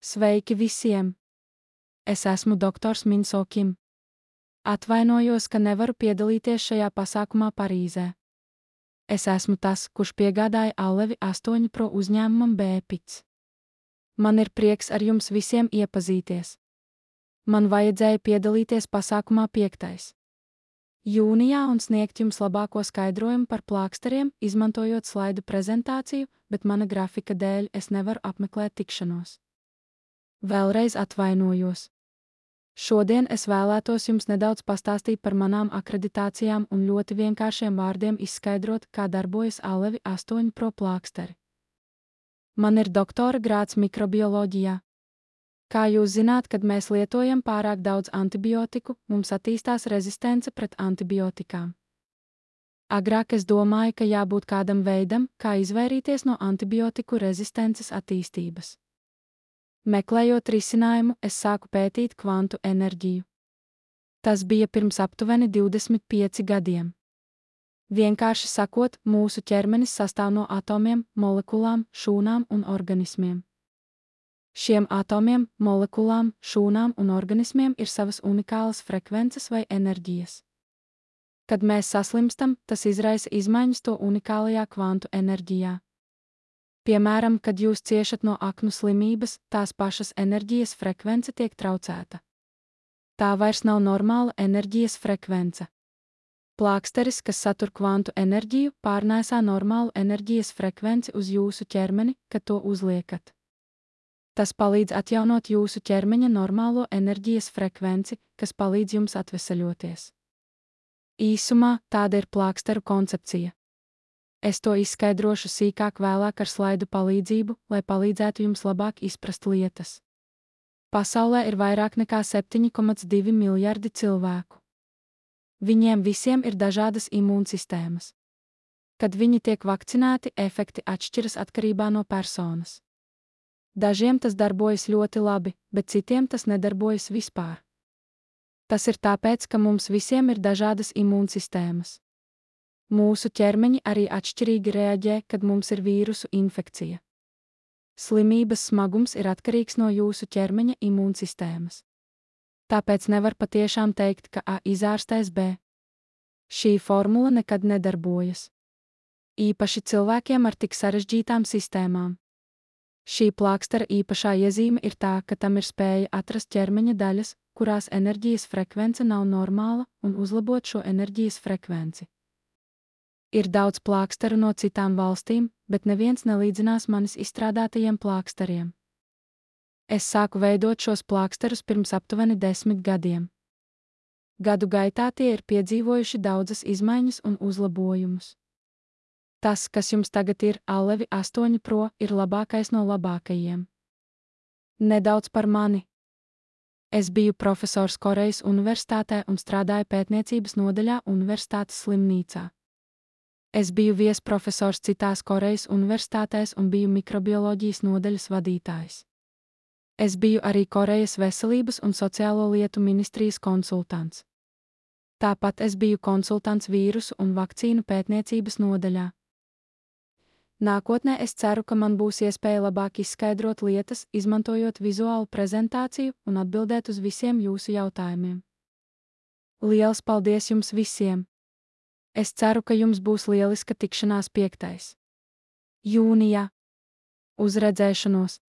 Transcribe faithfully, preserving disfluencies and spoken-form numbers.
Sveiki visiem! Es esmu doktors Minso Kim. Atvainojos, ka nevaru piedalīties šajā pasākumā Parīzē. Es esmu tas, kurš piegādāja Allevi astoņi Pro uzņēmumam Bēpics. Man ir prieks ar jums visiem iepazīties. Man vajadzēja piedalīties pasākumā piektais jūnijā un sniegt jums labāko skaidrojumu par plāksteriem, izmantojot slaidu prezentāciju, bet mana grafika dēļ es nevaru apmeklēt tikšanos. Vēlreiz atvainojos. Šodien es vēlētos jums nedaudz pastāstīt par manām akreditācijām un ļoti vienkāršiem vārdiem izskaidrot, kā darbojas Allevi astoņi Pro plāksteri. Man ir doktora grāds mikrobioloģijā. Kā jūs zināt, kad mēs lietojam pārāk daudz antibiotiku, mums attīstās rezistence pret antibiotikām. Agrāk es domāju, ka jābūt kādam veidam, kā izvairīties no antibiotiku rezistences attīstības. Meklējot risinājumu, es sāku pētīt kvantu enerģiju. Tas bija pirms aptuveni divdesmit pieci gadiem. Vienkārši sakot, mūsu ķermenis sastāv no atomiem, molekulām, šūnām un organismiem. Šiem atomiem, molekulām, šūnām un organismiem ir savas unikālas frekvences vai enerģijas. Kad mēs saslimstam, tas izraisa izmaiņas to unikālajā kvantu enerģijā. Piemēram, kad jūs ciešat no aknu slimības, tās pašas enerģijas frekvence tiek traucēta. Tā vairs nav normāla enerģijas frekvence. Plāksteris, kas satur kvantu enerģiju, pārnēsā normālu enerģijas frekvenci uz jūsu ķermeni, kad to uzliekat. Tas palīdz atjaunot jūsu ķermeņa normālo enerģijas frekvenci, kas palīdz jums atveseļoties. Īsumā, tāda ir plāksteru koncepcija. Es to izskaidrošu sīkāk vēlāk ar slaidu palīdzību, lai palīdzētu jums labāk izprast lietas. Pasaulē ir vairāk nekā septiņi komats divi miljardi cilvēku. Viņiem visiem ir dažādas imūnsistēmas. Kad viņi tiek vakcinēti, efekti atšķiras atkarībā no personas. Dažiem tas darbojas ļoti labi, bet citiem tas nedarbojas vispār. Tas ir tāpēc, ka mums visiem ir dažādas imūnsistēmas. Mūsu ķermeņi arī atšķirīgi reaģē, kad mums ir vīrusu infekcija. Slimības smagums ir atkarīgs no jūsu ķermeņa imūnsistēmas. Tāpēc nevar patiešām teikt, ka A izārstēs B. Šī formula nekad nedarbojas. Īpaši cilvēkiem ar tik sarežģītām sistēmām. Šī plākstera īpašā iezīme ir tā, ka tam ir spēja atrast ķermeņa daļas, kurās enerģijas frekvence nav normāla, un uzlabot šo enerģijas frekvenci. Ir daudz plāksteru no citām valstīm, bet neviens nelīdzinās manis izstrādātajiem plāksteriem. Es sāku veidot šos plāksterus pirms aptuveni desmit gadiem. Gadu gaitā tie ir piedzīvojuši daudzas izmaiņas un uzlabojumus. Tas, kas jums tagad ir, Allevi astoņi Pro, ir labākais no labākajiem. Nedaudz par mani. Es biju profesors Korejas universitātē un strādāju pētniecības nodaļā universitātes slimnīcā. Es biju viesprofesors citās Korejas universitātēs un biju mikrobioloģijas nodaļas vadītājs. Es biju arī Korejas veselības un sociālo lietu ministrijas konsultants. Tāpat es biju konsultants vīrusu un vakcīnu pētniecības nodaļā. Nākotnē es ceru, ka man būs iespēja labāk izskaidrot lietas, izmantojot vizuālu prezentāciju un atbildēt uz visiem jūsu jautājumiem. Liels paldies jums visiem! Es ceru, ka jums būs lieliska tikšanās piektais jūnijā. Uz redzēšanos!